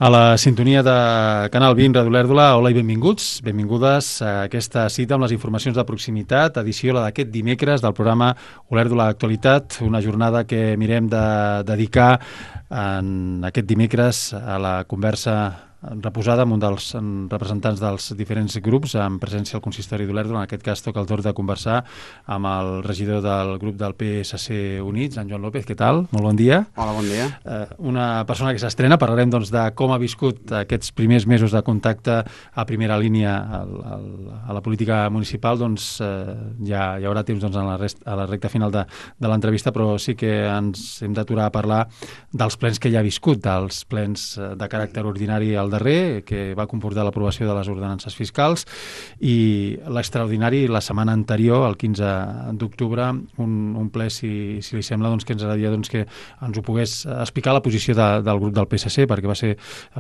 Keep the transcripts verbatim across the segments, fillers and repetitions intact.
A la sintonia de Canal vint, Ràdio Olèrdola, hola i benvinguts, benvingudes a aquesta cita amb les informacions de proximitat, edició la d'aquest dimecres del programa Olèrdola Actualitat, una jornada que mirem de dedicar en aquest dimecres a la conversa reposada amb un dels representants dels diferents grups, en presència al consistori d'Olèrdola. En aquest cas toca el torn de conversar amb el regidor del grup del P S C Units, en Joan López. Què tal? Molt bon dia. Hola, bon dia. Eh, una persona que s'estrena, parlarem doncs, de com ha viscut aquests primers mesos de contacte a primera línia al, al, a la política municipal. Doncs eh, ja hi haurà temps doncs, a, la rest, a la recta final de, de l'entrevista, però sí que ens hem d'aturar a parlar dels plens que ja ha viscut, dels plens de caràcter ordinari al darrer, que va comportar l'aprovació de les ordenances fiscals, i l'extraordinari la setmana anterior, el quinze d'octubre, un, un ple, si, si li sembla, doncs, que ens agradaria doncs, que ens ho pogués explicar la posició de, del grup del P S C, perquè va ser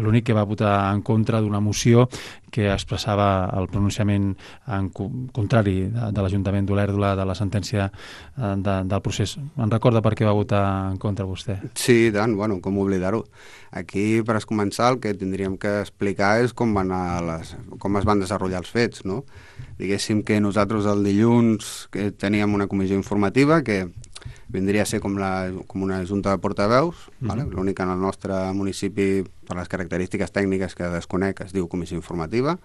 l'únic que va votar en contra d'una moció que expressava el pronunciament en contrari de, de l'Ajuntament d'Olèrdola de la sentència de, del procés. En recorda per què va votar en contra vostè? Sí, tant, bueno, com oblidar-ho. Aquí, per començar, el que tindríem que explicar és com, van a les, com es van desenvolupar els fets, no? Diguéssim que nosaltres el dilluns que teníem una comissió informativa que vindria a ser com, la, com una junta de portaveus, mm-hmm. vale? L'única en el nostre municipi, per les característiques tècniques que desconec, es diu comissió informativa,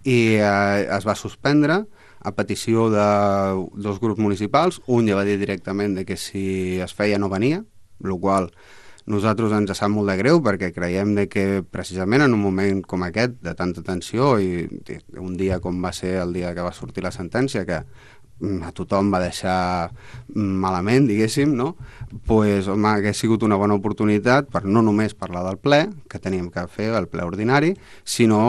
i eh, es va suspendre a petició de dos grups municipals. Un ja va dir directament de que si es feia no venia, el qual nosaltres ens sap molt de greu perquè creiem de que precisament en un moment com aquest, de tanta tensió, i un dia com va ser el dia que va sortir la sentència, que a tothom va deixar malament, diguéssim, no? Pues, home, hagués sigut una bona oportunitat per no només parlar del ple, que teníem que fer el ple ordinari, sinó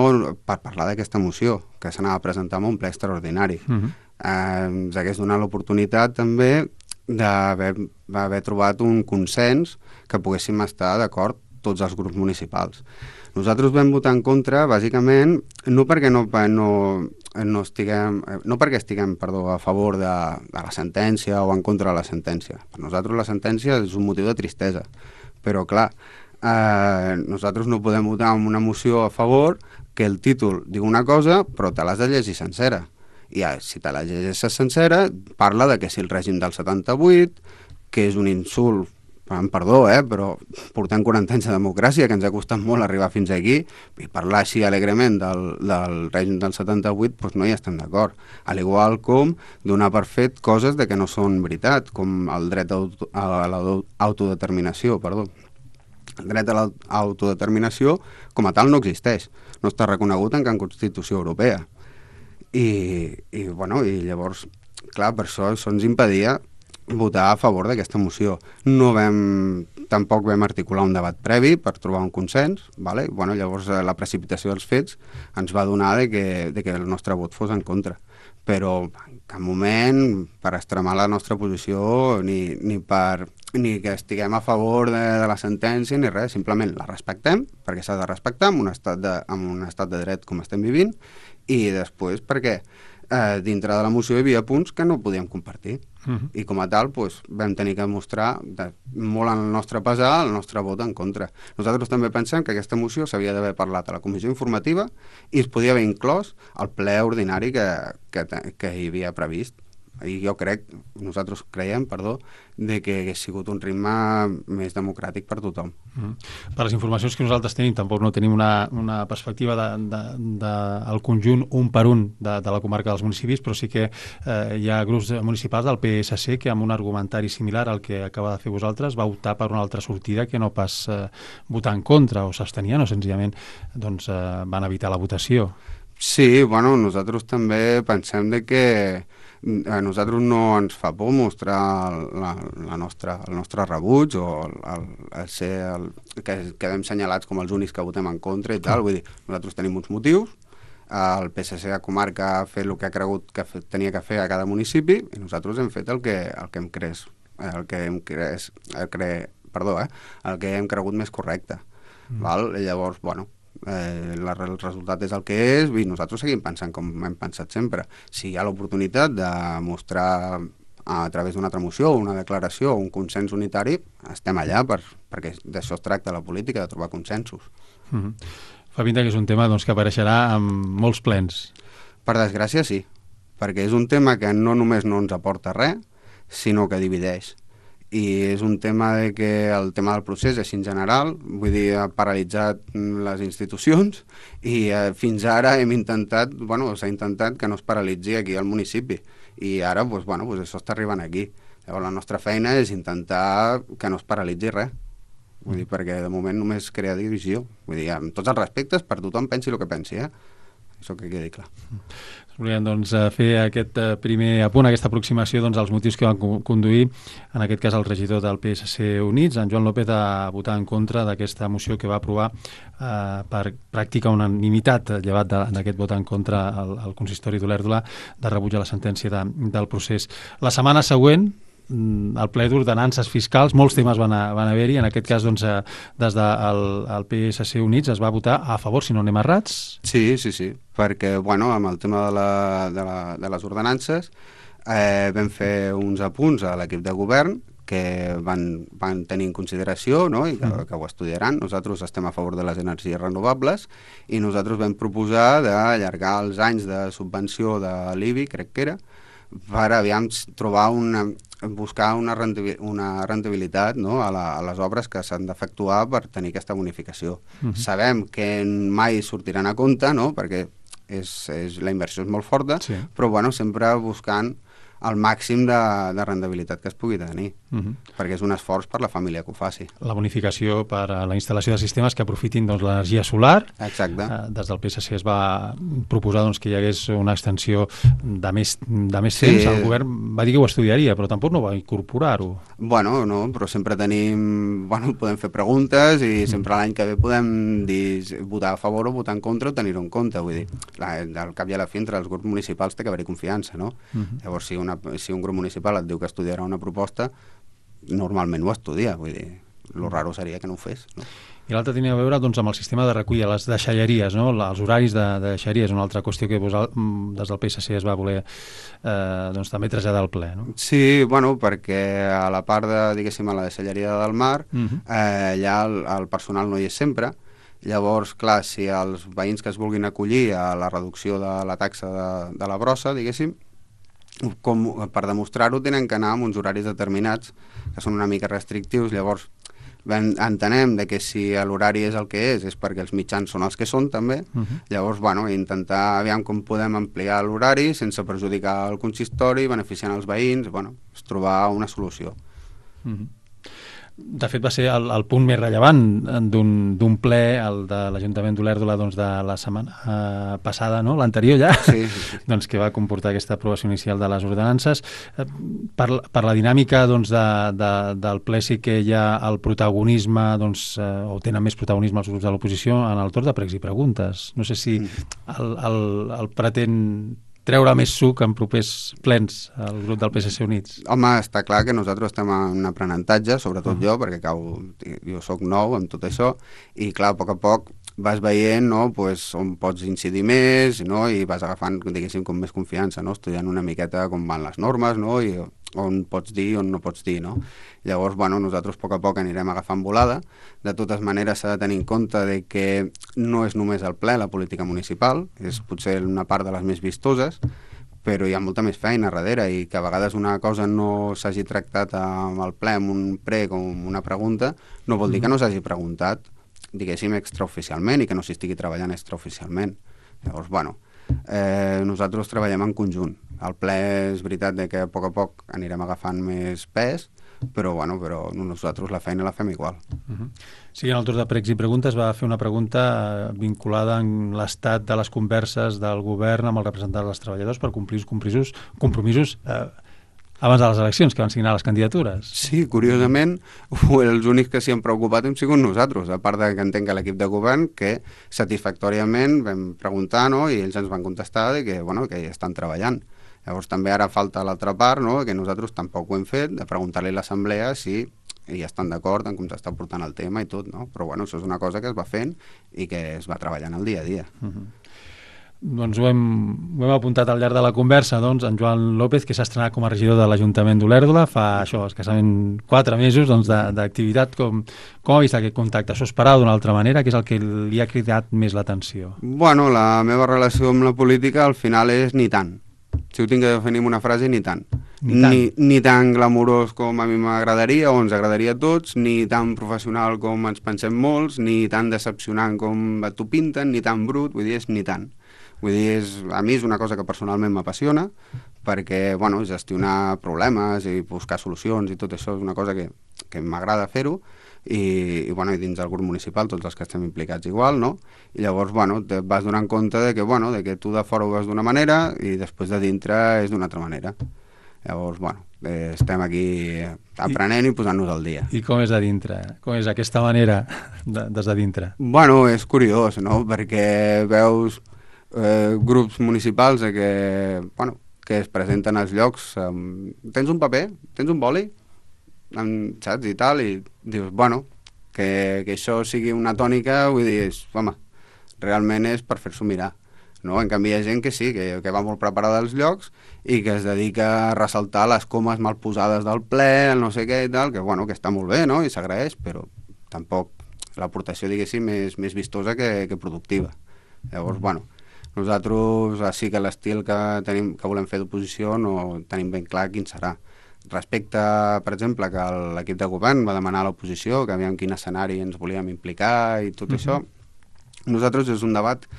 per parlar d'aquesta moció, que s'anava a presentar en un ple extraordinari. Uh-huh. eh, ens hagués donat l'oportunitat també d'haver haver trobat un consens que poguéssim estar d'acord tots els grups municipals. Nosaltres vam votar en contra, bàsicament, no perquè no, no, no estiguem, no perquè estiguem perdó, a favor de, de la sentència o en contra de la sentència. Per nosaltres la sentència és un motiu de tristesa, però clar, eh, nosaltres no podem votar en una moció a favor que el títol diu una cosa però te l'has de llegir sencera. I ja, si te la llegeixes sencera, parla de que si el règim del setanta-vuit, que és un insult, perdó, eh, però portem quaranta anys de democràcia, que ens ha costat molt arribar fins aquí, i parlar així alegrement del, del règim del setanta-vuit, doncs no hi estem d'acord. Al igual com donar per fet coses de que no són veritat, com el dret a l'autodeterminació, perdó. El dret a l'autodeterminació com a tal no existeix, no està reconegut en cap Constitució Europea. I, i, bueno, i llavors, clar, per això, això ens impedia votar a favor d'aquesta moció. No vam, tampoc vam articular un debat previ per trobar un consens, vale? Bueno, llavors la precipitació dels fets ens va donar de que, de que el nostre vot fos en contra. Però en cap moment per extremar la nostra posició ni, ni, per, ni que estiguem a favor de, de la sentència ni res, simplement la respectem, perquè s'ha de respectar en un estat de, en un estat de dret com estem vivint, i després perquè eh, dintre de la moció hi havia punts que no podíem compartir. Uh-huh. I com a tal doncs, vam tenir que mostrar de, molt en el nostre pesar el nostre vot en contra. Nosaltres també pensem que aquesta moció s'havia d'haver parlat a la comissió informativa i es podia haver inclòs al ple ordinari que, que, que hi havia previst. I jo crec, nosaltres creiem, perdó, de que hagués sigut un ritme més democràtic per tothom. Mm. Per les informacions que nosaltres tenim, tampoc no tenim una, una perspectiva del de, de, de, conjunt un per un de, de la comarca dels municipis, però sí que eh, hi ha grups municipals del P S C que amb un argumentari similar al que acaba de fer vosaltres va optar per una altra sortida que no pas eh, votar en contra o s'abstenien o senzillament doncs, eh, van evitar la votació. Sí, bueno, nosaltres també pensem de que a nosaltres no ens fa por mostrar la, la nostra, el nostre rebuig o el, el, el ser el, que quedem senyalats com els únics que votem en contra i tal. Vull dir, nosaltres tenim uns motius, el P S C a comarca ha fet el que ha cregut que tenia que fer a cada municipi i nosaltres hem fet el que, el que hem cres, el que hem cres, el cre, perdó, eh, el que hem cregut més correcte. Mm. Val? I llavors, bueno, Eh, la, el resultat és el que és i nosaltres seguim pensant com hem pensat sempre. Si hi ha l'oportunitat de mostrar a través d'una altra moció, una declaració o un consens unitari, estem allà per, perquè d'això es tracta la política, de trobar consensos. Mm-hmm. Fa pinta que és un tema doncs, que apareixerà amb molts plens. Per desgràcia, sí, perquè és un tema que no només no ens aporta res, sinó que divideix. I és un tema de que el tema del procés és en general, vull dir, ha paralitzat les institucions i eh, fins ara hem intentat, bueno, s'ha intentat que no es paralitzi aquí al municipi i ara, doncs, bueno, doncs això està arribant aquí. Llavors la nostra feina és intentar que no es paralitzi res, vull dir, perquè de moment només crea divisió. Vull dir, amb tots els respectes, per tothom pensi el que pensi, eh? Això que quedi clar. Volíem doncs, fer aquest primer apunt, aquesta aproximació doncs, als motius que van conduir, en aquest cas el regidor del P S C Units, en Joan López, a votar en contra d'aquesta moció que va aprovar eh, per pràctica unanimitat, llevat d'aquest vot en contra al, al consistori d'Olèrdola, de rebuig a la sentència de, del procés. La setmana següent, el ple d'ordenances fiscals, molts temes van, a, van haver-hi, en aquest cas doncs, des del el P S C Units es va votar a favor, si no anem errats. Sí, sí, sí, perquè bueno, amb el tema de, la, de, la, de les ordenances eh, vam fer uns apunts a l'equip de govern que van, van tenir en consideració, no? I que, que ho estudiaran. Nosaltres estem a favor de les energies renovables i nosaltres vam proposar d'allargar els anys de subvenció de l'I B I, crec que era, per aviam trobar una, buscar una, rentabil, una rentabilitat, no? a, la, a les obres que s'han d'efectuar per tenir aquesta bonificació. Uh-huh. Sabem que mai sortiran a compte, no? Perquè és, és, la inversió és molt forta, sí. Però bueno, sempre buscant el màxim de, de rendibilitat que es pugui tenir, uh-huh. perquè és un esforç per la família que ho faci. La bonificació per a la instal·lació de sistemes que aprofitin doncs, l'energia solar. Exacte. Eh, des del P S C es va proposar doncs, que hi hagués una extensió de més, de més temps. Sí. El govern va dir que ho estudiaria, però tampoc no va incorporar-ho. Bueno, no, però sempre tenim... Bueno, podem fer preguntes i sempre mm. l'any que ve podem dir votar a favor o votar en contra o tenir-ho en compte. Vull dir, la, al cap i a la fi, entre els grups municipals té que haver-hi confiança, no? Mm-hmm. Llavors, si una si un grup municipal et diu que estudiarà una proposta, normalment ho estudia, vull dir, el raro seria que no ho fes, no? I l'altre tenia a veure doncs, amb el sistema de recollida, les deixalleries, no? Els horaris de, de deixalleries, una altra qüestió que vos, des del P S C es va voler eh, doncs, també traslladar al ple, no? Sí, bueno, perquè a la part de, diguéssim, a la deixalleria del mar, uh-huh. eh, allà el, el personal no hi és sempre. Llavors, clar, si els veïns que es vulguin acollir a la reducció de la taxa de, de la brossa, diguéssim, com, per demostrar-ho tenen que anar amb uns horaris determinats que són una mica restrictius. Llavors entenem de que si l'horari és el que és és perquè els mitjans són els que són també. Uh-huh. Llavors, bueno, intentar aviam com podem ampliar l'horari sense perjudicar el consistori, beneficiant els veïns, bueno, és trobar una solució. Uh-huh. De fet, va ser el, el punt més rellevant d'un ple, el de l'Ajuntament d'Olèrdola doncs, de la setmana eh, passada, no? L'anterior ja, sí, sí, sí. doncs, que va comportar aquesta aprovació inicial de les ordenances. Eh, per, per la dinàmica doncs, de, de, del ple sí que hi ha el protagonisme, doncs, eh, o tenen més protagonisme els grups de l'oposició en el torn de pregs i preguntes. No sé si el, el, el pretén treure més suc en propers plens al grup del P S C Units? Home, està clar que nosaltres estem en aprenentatge, sobretot uh-huh. jo, perquè cau, jo sóc nou amb tot això, i clar, a poc a poc vas veient, no, pues, on pots incidir més, no, i vas agafant, diguéssim, com més confiança, no, estudiant una miqueta com van les normes, no, i on pots dir i on no pots dir, no. Llavors, bueno, nosaltres a poc a poc anirem agafant volada. De totes maneres s'ha de tenir en compte de que no és només el ple la política municipal, és potser una part de les més vistoses, però hi ha molta més feina darrere i que a vegades una cosa no s'hagi tractat amb el ple, amb un prec o amb una pregunta, no vol dir que no s'hagi preguntat, diguéssim, extraoficialment i que no s'hi estigui treballant extraoficialment. Llavors, bueno, eh, nosaltres treballem en conjunt. El ple és veritat de que a poc a poc anirem agafant més pes, però, bueno, però nosaltres la feina la fem igual. Uh-huh. Sí, en el torn de pregs i preguntes va fer una pregunta vinculada en l'estat de les converses del govern amb el representant dels treballadors per complir els compromisos, compromisos eh, abans de les eleccions, que van signar les candidatures. Sí, curiosament, els únics que s'hi han preocupat hem sigut nosaltres, a part de que entenc que l'equip de govern, que satisfactòriament vam preguntar, no?, i ells ens van contestar de que, bueno, que hi estan treballant. Llavors també ara falta l'altra part, no?, que nosaltres tampoc ho hem fet, de preguntar-li a l'assemblea si ja estan d'acord en com s'està portant el tema i tot, no? Però bueno, això és una cosa que es va fent i que es va treballant el dia a dia. Uh-huh. doncs ho hem, ho hem apuntat al llarg de la conversa, doncs, en Joan López, que s'ha estrenat com a regidor de l'Ajuntament d'Olèrdola fa això, escassament quatre mesos doncs, d'activitat. Com, com ha vist aquest contacte? Això esperava d'una altra manera? Què és el que li ha cridat més l'atenció? Bueno, la meva relació amb la política al final és ni tant. Si ho tinc que definir amb una frase, ni tant. Ni tant. Ni, ni tan glamurós com a mi m'agradaria o ens agradaria a tots, ni tan professional com ens pensem molts, ni tan decepcionant com t'ho pinten, ni tan brut, vull dir, és ni tant. Vull dir, és, a mi és una cosa que personalment m'apassiona, perquè, bueno, gestionar problemes i buscar solucions i tot això és una cosa que, que m'agrada fer-ho, i, i, bueno, i dins del grup municipal tots els que estem implicats igual, no? I llavors, bueno, te vas donant compte de que, bueno, de que tu de fora ho veus d'una manera i després de dintre és d'una altra manera. Llavors, bueno, eh, estem aquí aprenent i, i posant-nos al dia. I com és de dintre? Com és aquesta manera de, des de dintre? Bueno, és curiós, no? Perquè veus eh, grups municipals de que, bueno, que es presenten als llocs, eh, tens un paper, tens un boli, amb, saps, i tal, i dius, bueno, que, que això sigui una tònica, vull dir, és, home, realment és per fer-s'ho mirar, no? En canvi hi ha gent que sí, que, que va molt preparada als llocs i que es dedica a ressaltar les comes mal posades del ple, el no sé què i tal, que bueno, que està molt bé, no? I s'agraeix, però tampoc l'aportació, diguéssim, és més vistosa que, que productiva. Llavors, bueno, nosaltres sí que l'estil que tenim, que volem fer d'oposició no tenim ben clar quin serà. Respecte, per exemple, que l'equip de govern va demanar a l'oposició que aviam quin escenari ens volíem implicar i tot uh-huh. això, nosaltres és un debat...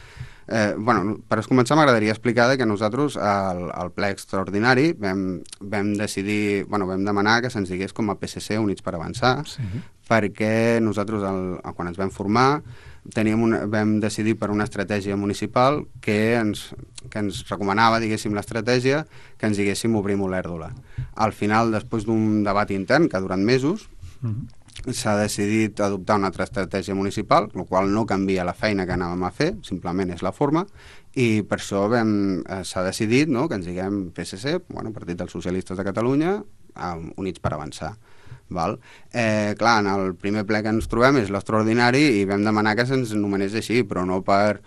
Eh, bueno, per començar m'agradaria explicar que nosaltres al, al ple extraordinari vam, vam decidir, bueno, vam demanar que se'ns digués com a P S C Units per Avançar, sí. perquè nosaltres el, quan ens vam formar teníem una, vam decidir per una estratègia municipal que ens, que ens recomanava, diguéssim, l'estratègia que ens diguéssim obrim Olèrdola. Al final, després d'un debat intern que ha durat mesos, uh-huh. s'ha decidit adoptar una altra estratègia municipal, el qual no canvia la feina que anàvem a fer, simplement és la forma, i per això vam, eh, s'ha decidit, no?, que ens diguem P S C, bueno, Partit dels Socialistes de Catalunya, eh, Units per Avançar. Val? Eh, clar, en el primer ple que ens trobem és l'extraordinari i vam demanar que se'ns nomenés així, però no per...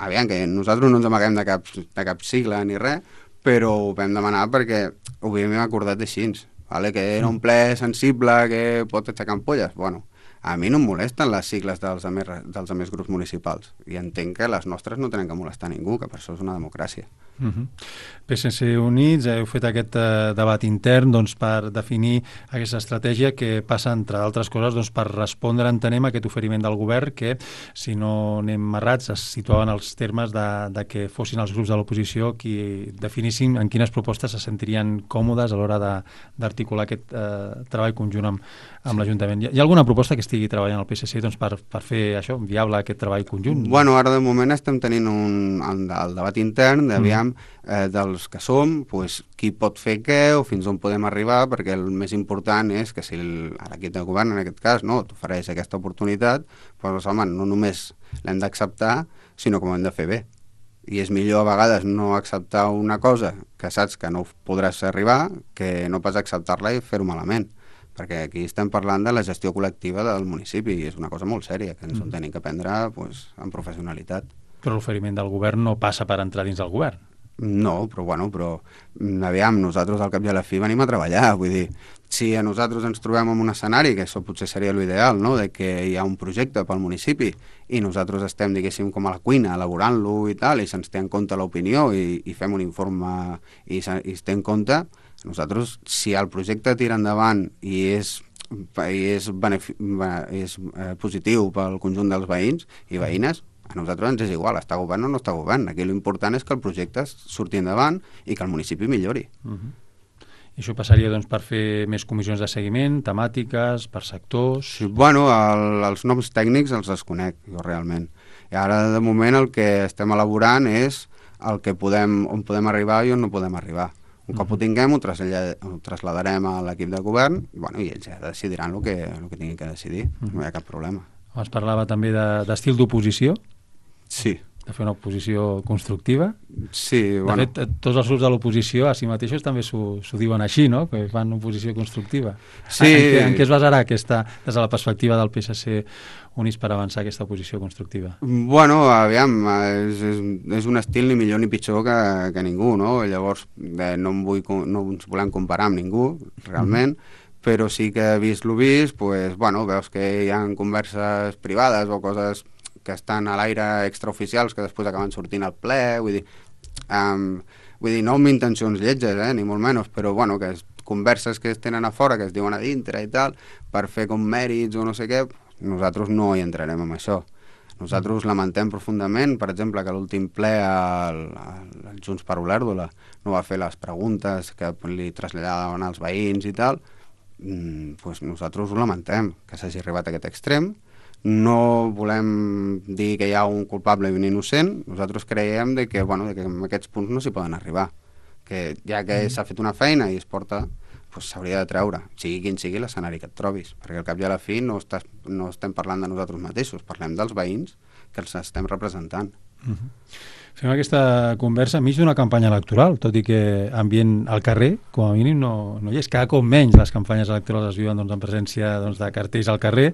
Aviam, que nosaltres no ens amaguem de cap, de cap sigla ni res, però ho vam demanar perquè ho havíem acordat així, vale? Que era un ple sensible que pot aixecar ampolles. Bueno, a mi no em molesten les sigles dels altres, dels altres grups municipals i entenc que les nostres no tenen que molestar ningú, que per això és una democràcia. Uh-huh. P S C Units, heu fet aquest uh, debat intern doncs, per definir aquesta estratègia que passa, entre d'altres coses, doncs, per respondre, entenem, a aquest oferiment del govern que, si no anem errats, es situaven els termes de, de que fossin els grups de l'oposició qui definissin en quines propostes se sentirien còmodes a l'hora d'articular aquest uh, treball conjunt amb, amb sí. l'Ajuntament. Hi ha alguna proposta que estigui treballant el P S C doncs, per, per fer això, viable aquest treball conjunt? Bueno, ara de moment estem tenint un, el, el debat intern d'aviam Eh, dels que som, pues, qui pot fer què o fins on podem arribar, perquè el més important és que si l'equip de govern, en aquest cas, no, t'ofereix aquesta oportunitat, doncs, home, no només l'hem d'acceptar, sinó que ho hem de fer bé. I és millor a vegades no acceptar una cosa que saps que no podràs arribar que no pas acceptar-la i fer-ho malament, perquè aquí estem parlant de la gestió col·lectiva del municipi i és una cosa molt sèria que ens mm. tenim que prendre pues, amb professionalitat. Però l'oferiment del govern no passa per entrar dins del govern. No, però bueno, però aviam, nosaltres al cap i a la fi venim a treballar, vull dir, si a nosaltres ens trobem en un escenari, que això potser seria l'ideal, no?, de que hi ha un projecte pel municipi i nosaltres estem, diguéssim, com a la cuina, elaborant-lo i tal, i se'ns té en compte l'opinió i, i fem un informe i, se, i es té en compte, nosaltres, si el projecte tira endavant i és, i és, benefic, és eh, positiu pel conjunt dels veïns i veïnes, a nosaltres ens és igual, està govern o no està govern. Aquí l'important és que el projecte surti endavant i que el municipi millori. Uh-huh. I això passaria doncs, per fer més comissions de seguiment, temàtiques, per sectors... Sí, bueno, el, els noms tècnics els desconec, jo realment. I ara, de moment, el que estem elaborant és el que podem, on podem arribar i on no podem arribar. Un cop uh-huh. ho tinguem, ho, ho trasladarem a l'equip de govern i, bueno, i ells ja decidiran el que, el que tinguin que decidir. Uh-huh. No hi ha cap problema. Es parlava també d'estil de, d'oposició? Sí. de fer una oposició constructiva. Sí, de bueno. fet, tots els grups de l'oposició a si mateixos també s'ho diuen així, no? Que fan oposició constructiva. Sí. En, què, en què es basarà aquesta, des de la perspectiva del P S C, Units per Avançar, aquesta oposició constructiva? Bueno, aviam, és, és, és un estil ni millor ni pitjor que, que ningú, no? Llavors, eh, no, em vull, no ens volem comparar amb ningú, realment, mm. però sí que vist lo vist, pues, bueno, veus que hi ha converses privades o coses que estan a l'aire extraoficials que després acaben sortint al ple, vull dir, um, vull dir, no amb intencions lletges, eh, ni molt menys, però bueno, que és converses que es tenen a fora, que es diuen a dintre i tal, per fer com mèrits o no sé què, nosaltres no hi entrarem amb això. Nosaltres lamentem profundament, per exemple, que l'últim ple al, al Junts per Olèrdola no va fer les preguntes que li traslladaven als veïns i tal, mm, pues nosaltres ho lamentem, que s'hagi arribat a aquest extrem. No volem dir que hi ha un culpable i un innocent, nosaltres creiem de que, bueno, de que en aquests punts no s'hi poden arribar, que ja que s'ha fet una feina i es porta, pues s'hauria de treure, sigui quin sigui l'escenari que et trobis, perquè al cap i a la fi no, estàs, no estem parlant de nosaltres mateixos, parlem dels veïns que els estem representant. Uh-huh. Fem aquesta conversa enmig d'una campanya electoral, tot i que ambient al carrer, com a mínim, no, no hi és. Cada cop menys les campanyes electorals es viuen doncs, en presència doncs, de cartells al carrer,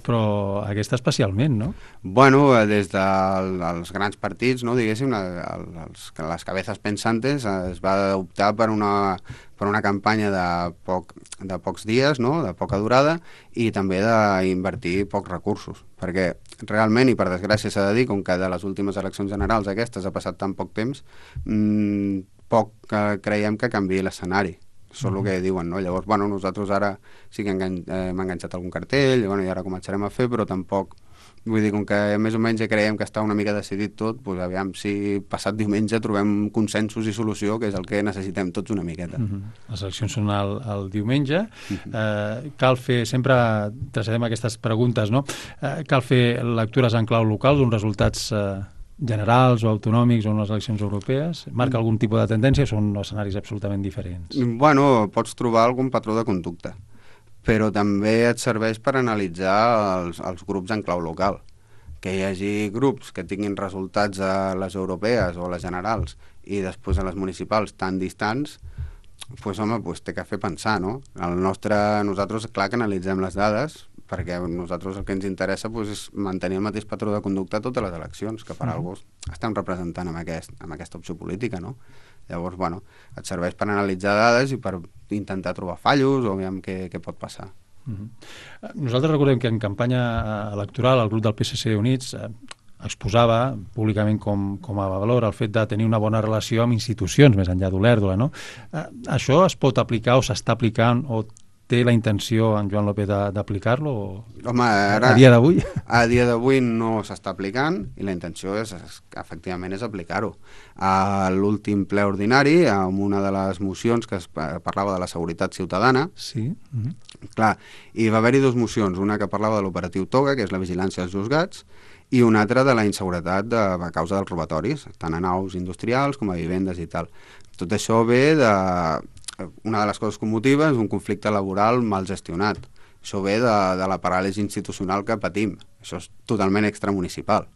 però aquesta especialment, no? Bueno, des dels grans partits, no, diguéssim, els, les cabezas pensantes, es va optar per una, per una campanya de, poc, de pocs dies, no, de poca durada, i també d'invertir pocs recursos, perquè realment, i per desgràcia s'ha de dir, com que de les últimes eleccions generals aquestes ha passat tan poc temps, mmm, poc eh, creiem que canviï l'escenari. Això és el que diuen, no? Llavors, bueno, nosaltres ara sí que engan eh, hem enganxat algun cartell, bueno, i ara començarem a fer, però tampoc, vull dir, com que més o menys ja creiem que està una mica decidit tot, doncs aviam si passat diumenge trobem consensos i solució, que és el que necessitem tots una miqueta. Uh -huh. Les eleccions són el, el diumenge. Uh -huh. eh, cal fer, sempre traslladem aquestes preguntes, no? Eh, cal fer lectures en clau local, uns resultats eh, generals o autonòmics o unes eleccions europees? Marca algun tipus de tendència o són escenaris absolutament diferents? Bueno, pots trobar algun patró de conducta, però també et serveix per analitzar els, els grups en clau local. Que hi hagi grups que tinguin resultats a les europees o a les generals i després a les municipals tan distants, pues, home, pues, té que fer pensar, no? El nostre, nosaltres, clar que analitzem les dades, perquè a nosaltres el que ens interessa pues, és mantenir el mateix patró de conducta a totes les eleccions, que per mm. alguns estem representant amb, aquest, amb aquesta opció política, no? Llavors, bueno, et serveix per analitzar dades i per intentar trobar fallos o veure què, què pot passar. Uh-huh. Nosaltres recordem que en campanya electoral el grup del P S C Units eh, exposava públicament com, com a valor el fet de tenir una bona relació amb institucions més enllà d'Olèrdola, no? Eh, això es pot aplicar o s'està aplicant o té la intenció en Joan López d'aplicar-lo? Home, ara, a dia d'avui? A dia d'avui no s'està aplicant i la intenció és, és efectivament és aplicar-ho. A l'últim ple ordinari, amb una de les mocions que es parlava de la seguretat ciutadana, sí. Uh-huh. Clar, hi va haver-hi dues mocions, una que parlava de l'operatiu Toga, que és la vigilància als juzgats, i una altra de la inseguretat de, a causa dels robatoris, tant a naus industrials com a vivendes i tal. Tot això ve de... Una de les coses que motiva és un conflicte laboral mal gestionat. Això ve de, de la paràlisi institucional que patim. Això és totalment extramunicipal.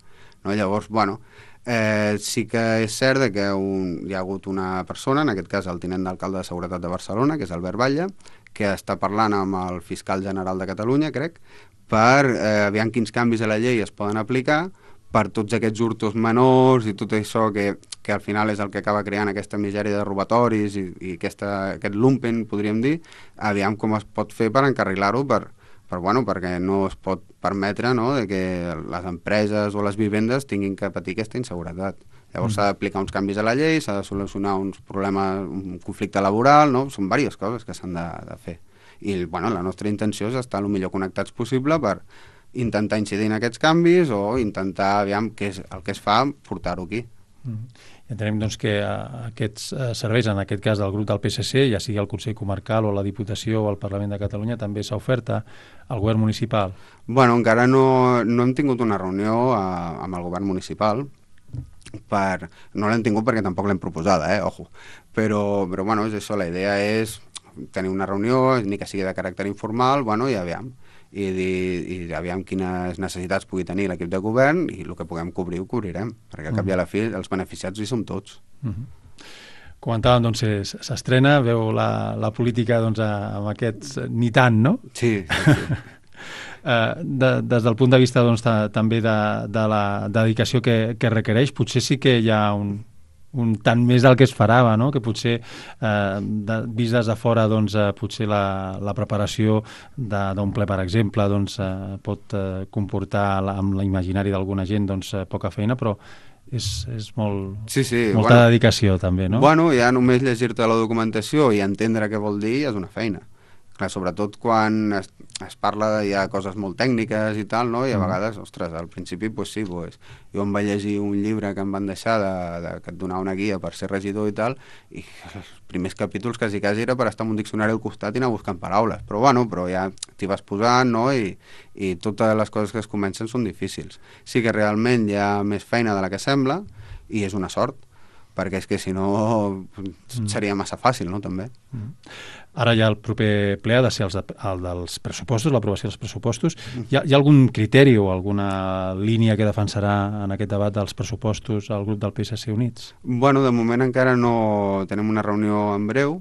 No? Llavors, bueno, eh, sí que és cert que un, hi ha hagut una persona, en aquest cas el tinent d'alcalde de Seguretat de Barcelona, que és Albert Batlle, que està parlant amb el fiscal general de Catalunya, crec, per eh, veure quins canvis a la llei es poden aplicar per tots aquests hurtos menors i tot això que, que al final és el que acaba creant aquesta misèria de robatoris i, i aquesta, aquest lumpen, podríem dir, aviam com es pot fer per encarrilar-ho, per, per, bueno, perquè no es pot permetre, no, de que les empreses o les vivendes tinguin que patir aquesta inseguretat. Llavors mm. s'ha d'aplicar uns canvis a la llei, s'ha de solucionar uns problemes, un conflicte laboral, no? Són diverses coses que s'han de, de fer. I bueno, la nostra intenció és estar el millor connectats possible per intentar incidir en aquests canvis o intentar, aviam, què és el que es fa, portar-ho aquí. Mm. Entenem doncs, que uh, aquests uh, serveis, en aquest cas del grup del P S C, ja sigui el Consell Comarcal o la Diputació o el Parlament de Catalunya, també s'ha ofert al govern municipal? Bueno, encara no, no hem tingut una reunió uh, amb el govern municipal, per... no l'hem tingut perquè tampoc l'hem proposada, eh? Ojo. Però, però bueno, és això, la idea és tenir una reunió, ni que sigui de caràcter informal, bueno, i aviam. i, i, i aviam quines necessitats pugui tenir l'equip de govern i el que puguem cobrir ho cobrirem, perquè al cap i a la fi els beneficiats hi som tots. Mm-hmm. Comentàvem, doncs, s'estrena, veu la, la política doncs, amb aquests ni tant, no? Sí, sí, sí. Uh, de, des del punt de vista doncs, ta, també de, de la dedicació que, que requereix, potser sí que hi ha un, un tant més del que es farava, no? Que potser, uh, de, vist des de fora, doncs, uh, potser la, la preparació d'un ple, per exemple, doncs, uh, pot uh, comportar la, amb l'imaginari d'alguna gent doncs, uh, poca feina, però és, és molt, sí, sí. molta bueno, dedicació també, no? Bueno, ja només llegir-te la documentació i entendre què vol dir és una feina. Clar, sobretot quan es, es parla de ja coses molt tècniques i tal, no? I a vegades, ostres, al principi, pues sí, pues, jo em vaig llegir un llibre que em van deixar de, de, que et donava una guia per ser regidor i tal, i els primers capítols quasi quasi era per estar amb un diccionari al costat i anar buscant paraules, però bueno, però ja t'hi vas posant, no? I, i totes les coses que es comencen són difícils. Sí que realment hi ha més feina de la que sembla, i és una sort, perquè és que si no seria massa fàcil, no?, també. Mm. Ara ja el proper ple ha de ser els de, el dels pressupostos, l'aprovació dels pressupostos. Mm. Hi ha, hi ha algun criteri o alguna línia que defensarà en aquest debat dels pressupostos el grup del P S C Units? Bueno, de moment encara no tenim una reunió en breu,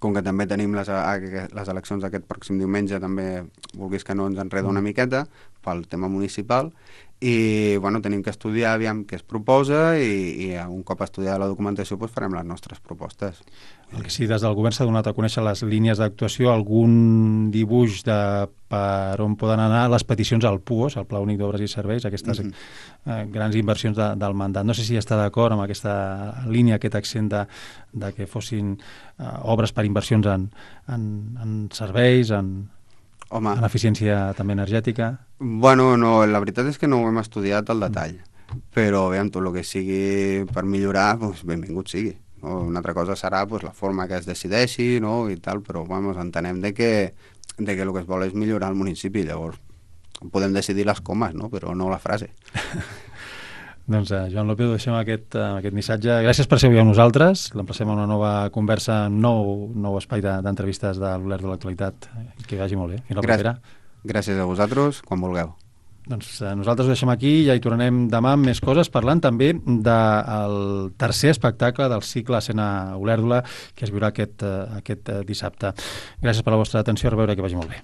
com que també tenim les, les eleccions aquest pròxim diumenge, també, vulguis que no, ens enreda una miqueta pel tema municipal, i bueno, tenim que estudiar aviam què es proposa i, i un cop estudiada la documentació doncs farem les nostres propostes. El que sí, des del govern s'ha donat a conèixer les línies d'actuació, algun dibuix de per on poden anar les peticions al P U O S, el Pla Únic d'Obres i Serveis, aquestes mm -hmm. eh, grans inversions de, del mandat. No sé si està d'acord amb aquesta línia, aquest accent de, de que fossin eh, obres per inversions en, en, en serveis, en, Home, en eficiència també energètica. Bueno, no, la veritat és que no ho hem estudiat al detall, però aviam, tot el que sigui per millorar, doncs benvingut sigui. No? Una altra cosa serà pues, la forma que es decideixi, no? I tal, però vamos, entenem de que, de que el que es vol és millorar el municipi, llavors podem decidir les comes, no? Però no la frase. Doncs, eh, Joan López, deixem aquest, eh, aquest missatge. Gràcies per ser avui amb nosaltres. L'emplacem a una nova conversa, un nou, nou espai d'entrevistes de l'Olert de l'Actualitat. Que vagi molt bé. Fins la Gràcies. propera. Gràcies a vosaltres, quan vulgueu. Doncs eh, nosaltres ho deixem aquí i ja hi tornarem demà amb més coses, parlant també del tercer espectacle del cicle Escena Olèrdola que es viurà aquest, eh, aquest eh, dissabte. Gràcies per la vostra atenció, a reveure, que vagi molt bé.